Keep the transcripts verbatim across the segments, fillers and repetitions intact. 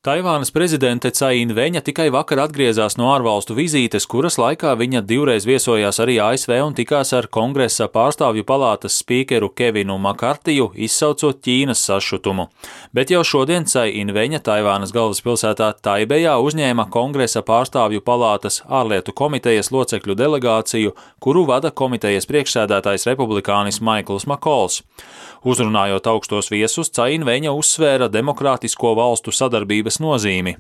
Taivānas prezidente Cai In-veņa tikai vakar atgriezās no ārvalstu vizītes, kuras laikā viņa divreiz viesojās arī A S V un tikās ar Kongresa pārstāvju palātas spīkeru Kevinu Makartiju, izsaucot Ķīnas sašutumu. Bet jau šodien Cai In-veņa Taivānas galvaspilsētā Taibejā uzņēma Kongresa pārstāvju palātas ārlietu komitejas locekļu delegāciju, kuru vada komitejas priekšsēdētājs republikānis Maikls Makols. Uzrunājot augstos viesus, Cai In-veņa uzsvēra demokrātisko valstu sadarbības nozīmi.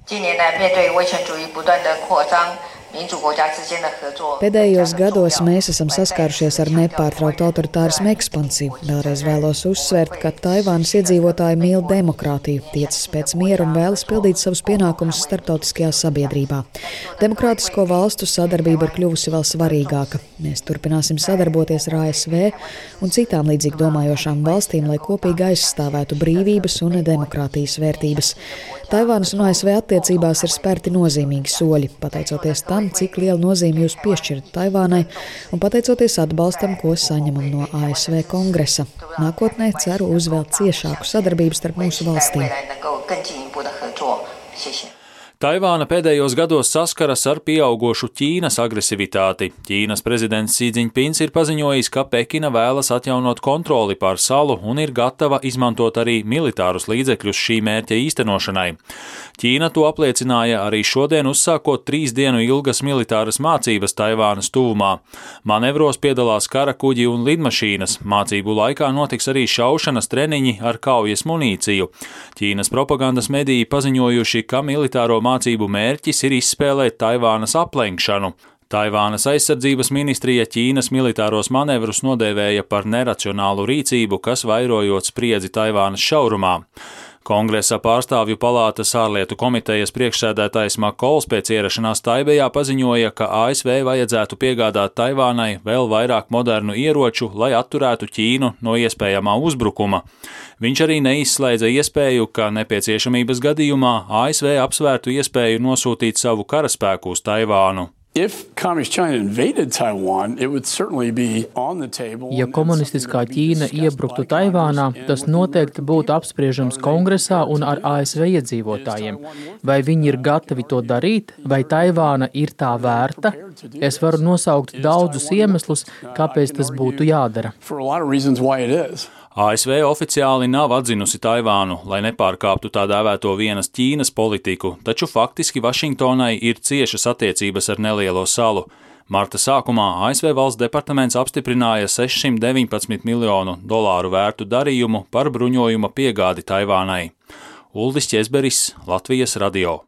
Pēdējos gados mēs esam saskārušies ar nepārtrauktu autoritārismu ekspansiju. Vēlreiz vēlos uzsvērt, ka Taivānas iedzīvotāji mīl demokrātiju, tiecas pēc miera un vēlas pildīt savus pienākumus starptautiskajā sabiedrībā. Demokrātisko valstu sadarbība ir kļuvusi vēl svarīgāka. Mēs turpināsim sadarboties ar A S V un citām līdzīgi domājošām valstīm, lai kopīgi aizstāvētu brīvības un demokrātijas vērtības. Taivānas un A S V attiecībās ir spērti nozīmīgi soļi, pateicoties tam, cik lielu nozīmi jūs piešķirat Taivānai un pateicoties atbalstam, ko saņemam no A S V kongresa. Nākotnē ceru uz vēl ciešāku sadarbību starp mūsu valstīm. Taivāna pēdējos gados saskaras ar pieaugošu Ķīnas agresivitāti. Ķīnas prezidents Xi Jinpings ir paziņojis, ka Pekina vēlas atjaunot kontroli pār salu un ir gatava izmantot arī militārus līdzekļus šī mērķa īstenošanai. Ķīna to apliecināja arī šodien, uzsākot trīs dienu ilgas militāras mācības Taivānas tuvumā. Manevros piedalās karakuģi un lidmašīnas. Mācību laikā notiks arī šaušanas treniņi ar kaujas munīciju. Ķīnas propagandas mediji paziņojuši, ka militāro mācību mērķis ir izspēlēt Taivānas aplenkšanu. Taivānas aizsardzības ministrija Ķīnas militāros manevrus nodēvēja par neracionālu rīcību, kas vairojot spriedzi Taivānas šaurumā. Kongresa pārstāvju palātas ārlietu komitejas priekšsēdētājs Makols pēc ierašanās Taibejā paziņoja, ka A S V vajadzētu piegādāt Taivānai vēl vairāk modernu ieroču, lai atturētu Ķīnu no iespējamā uzbrukuma. Viņš arī neizslēdza iespēju, ka nepieciešamības gadījumā A S V apsvērtu iespēju nosūtīt savu karaspēku uz Taivānu. Ja komunistiskā Ķīna iebruktu Taivānā, tas noteikti būtu apspriežams Kongresā un ar A S V iedzīvotājiem. Vai viņi ir gatavi to darīt, vai Taivāna ir tā vērta? Es varu nosaukt daudzus iemeslus, kāpēc tas būtu jādara. A S V oficiāli nav atzinusi Taivānu, lai nepārkāptu tā dēvēto vienas Ķīnas politiku, taču faktiski Vašingtonai ir ciešas attiecības ar nelielo salu. Marta sākumā A S V valsts departaments apstiprināja sešsimt deviņpadsmit miljonu dolāru vērtu darījumu par bruņojuma piegādi Taivānai. Uldis Ķezberis, Latvijas radio.